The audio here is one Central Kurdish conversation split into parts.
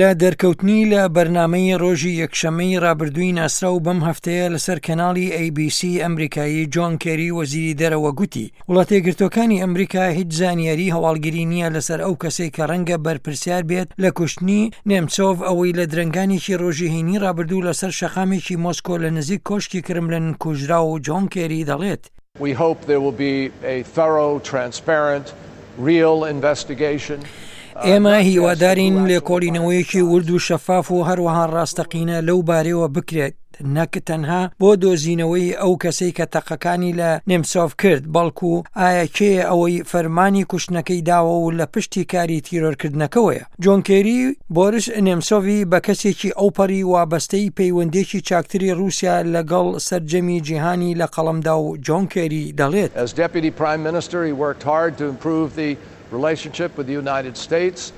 لە دەرکەوتنی لە بەرنامەی ڕۆژی یەکشەممەی ڕابردووی ناسراو بەم هەفتەیە لەسەر کەناڵی ئەی بی سی ئەمریکایی جۆن کێری وەزیری دەرەوە گوتی وڵاتە یەکگرتووەکانی ئەمریکا هیچ زانیاری هەواڵگری نییە لەسەر ئەو کەسەی کە ڕەنگە بەرپرسیار بێت لە کوشتنی نێمچۆڤ ئەوەی لە درەنگانێکی ڕۆژی هەینی ڕابردوو لەسەر شەقامێکی مۆسکۆ لە نزیک کۆشکی کرملن کوژرا و جۆن کێری دەڵێت We hope there will be a thorough, transparent, real investigation. ئێمە هیوادارین لێکۆڵینەوەیەکی ورد و شەفاف و هەروەها ڕاستەقینە لەو بارەیەوە بکرێت، نەک تەنها بۆ دۆزینەوەی ئەو کەسەی کە تەقەکانی لە نێمسۆڤ کرد، بەڵکو ئایا کێیە ئەوەی فەرمانی کوشتنەکەی داوە و لە پشتی کاری تیرۆرکردنەکەوەیە. جۆن کێری بۆریس نێمسۆڤی بە کەسێکی ئەوپەڕی وابەستەی پەیوەندییەکی چاکتری ڕووسیا لەگەڵ سەرجەمی جیهانی لە قەڵەمدا و جۆن کێری دەڵێت. As Deputy Prime Minister, he worked hard to improve the relationship with the United States.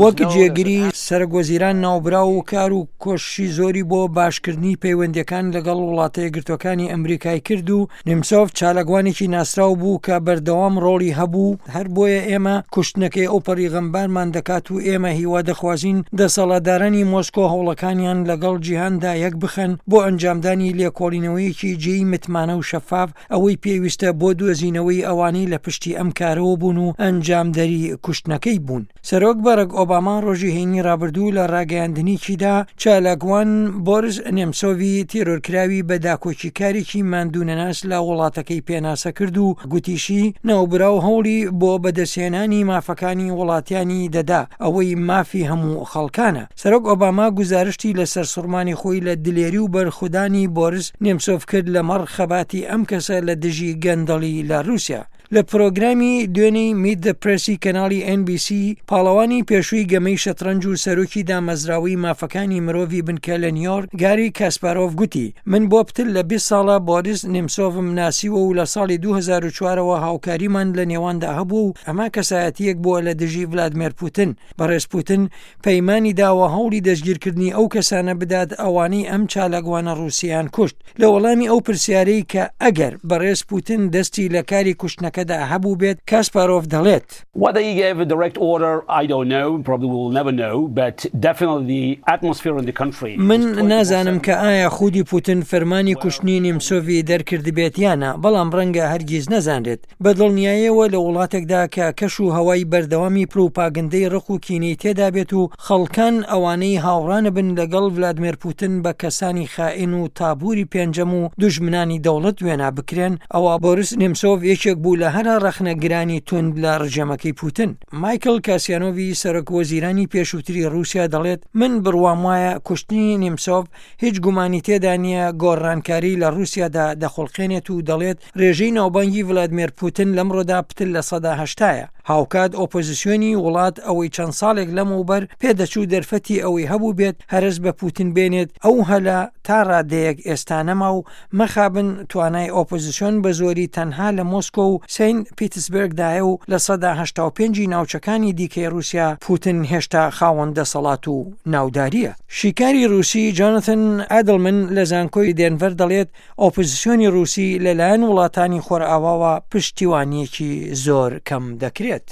وەک جێگری سەرەک وەزیران ناوبراو کار و کۆششی زۆری بۆ باشکردنی پەیوەندییەکان لەگەڵ وڵاتە یەکگرتووەکانی ئەمریکای کرد و نیمسۆڤ چالاکوانێکی ناسراو بوو کە بەردەوام ڕۆڵی هەبوو، هەر بۆیە ئێمە کوشتنەکەی ئەوپەڕی غەمبارمان دەکات و ئێمە هیوا دەخوازین دەسەڵاتدارانی مۆسکۆ هەوڵەکانیان لەگەڵ جیهاندا یەکبخەن بۆ ئەنجامدانی لێکۆڵینەوەیەکی جێی متمانە و شەفاف ئەوەی پێویستە بۆ دۆزینەوەی ئەوانەی لە پشتی ئەم کارەوە بوون و ئەنجامدەری کوشتنەکەی بوون. سەرۆک بەرەک ئۆباما ڕۆژی هەینی ڕابردوو لە ڕاگەیاندنیکیدا چالاکوان بۆریس نێمسۆڤی تێرۆرکراوی بە داکۆکیکارێکی ماندوونەناس لە وڵاتەکەی پێناسە کرد و گوتیشی ناوبراو هەوڵی بۆ بەدەستهێنانی مافەکانی وڵاتیانی دەدا ئەوەی مافی هەموو خەڵکانە. سەرۆک ئۆباما گوزارشتی لە سەرسوڕمانی خۆی لە دلێری و بەرخودانی بۆریس نێمسۆڤ کرد لەمەڕ خەباتی ئەم کەسە لە دژی گەندەڵی لە ڕووسیا. لە پرۆگرامی دوێنێی میت دە پرێسی کەناڵی ئێن بی سی، پاڵەوانی پێشووی گەمەی شەتڕەنج و سەرۆکی دامەزراوەی مافەکانی مرۆڤی بنکە لە نیۆرک، گاری کاسپارۆڤ گوتی، من بۆ پتر لە 20 ساڵە بۆریس نیمسۆڤم ناسیوە و لە ساڵی 2004 ەوە هاوکاریمان لە نێواندا هەبووە و ئەمە کەسایەتییەک بووە لە دژی ڤلادمێر پوتن. بەڕێز پوتن پەیمانی داوە هەوڵی دەستگیرکردنی ئەو کەسانە بدات ئەوانەی ئەم چالاکوانە ڕووسییان کوشت. لە وەڵامی ئەو پرسیارەی کە ئەگەر بەڕێز پوتن دەستی لە کاری کوشتنەکەدا هەبووبێت، کاسپارۆڤ دەڵێت. Whether he gave a direct order, I don't know, probably we will never know, but definitely the atmosphere in the country من نازانم کە ئایا خودی پوتن فەرمانی کوشتنی نیمسۆڤی دەرکردبێت یا نا، بەڵام ڕەنگە هەرگیز نەزانرێت. بە دڵنیایەوە لە وڵاتێکدا کە کەش و هەوای بەردەوامی پروپاگندەی ڕق و کینەی تێدا بێت و خەڵکان ئەوانەی هاوڕانەبن لەگەڵ ڤلادمێر پوتن بە کەسانی خائین و تابوری پێنجەم و دوژمنانی دەوڵەت وێنا بکرێن، ئەوا بۆریس نێمسۆڤ یەکێک بوو لە هەرە ڕەخنەگرانی توند لە ڕژێمەکەی پوتن. مایکڵ کاسیانۆڤی سەرۆک وەزیرانی پێشووتری ڕووسیا دەڵێت، من بڕوام وایە کوشتنی نێمسۆڤ هیچ گومانی تێدا نییە گۆڕانکاری لە ڕووسیادا دەخوڵقێنێت و دەڵێت رێژەی ناوبانگی ڤلادمێر پوتن لەمڕۆدا پتر لە سەدا هەشتایە. هاوکات ئۆپۆزسیۆنی وڵات ئەوەی چەند ساڵێک لەمەوبەر پێدەچوو دەرفەتی ئەوەی هەبووبێت هەرەس بە پوتن بێنێت ئەو هەلە تا رادەیەک ئێستا نەما و مەخابن توانای ئۆپۆزسیۆن بە زۆری تەنها لە مۆسکۆ و سەینت پیتسبێرگدایە و 85% ی ناوچەکانی دیکەی رووسیا پوتن هێشتا خاوەن دەسەڵات و ناودارییە. شیکاری رووسی جۆناثن ئادڵمن لە زانکۆی دێنڤەر دەڵێت ئۆپۆزسیۆنی ڕووسی لەلایەن وڵاتانی خۆرئاواوە پشتیوانییەکی زۆر کەم دەکرێت.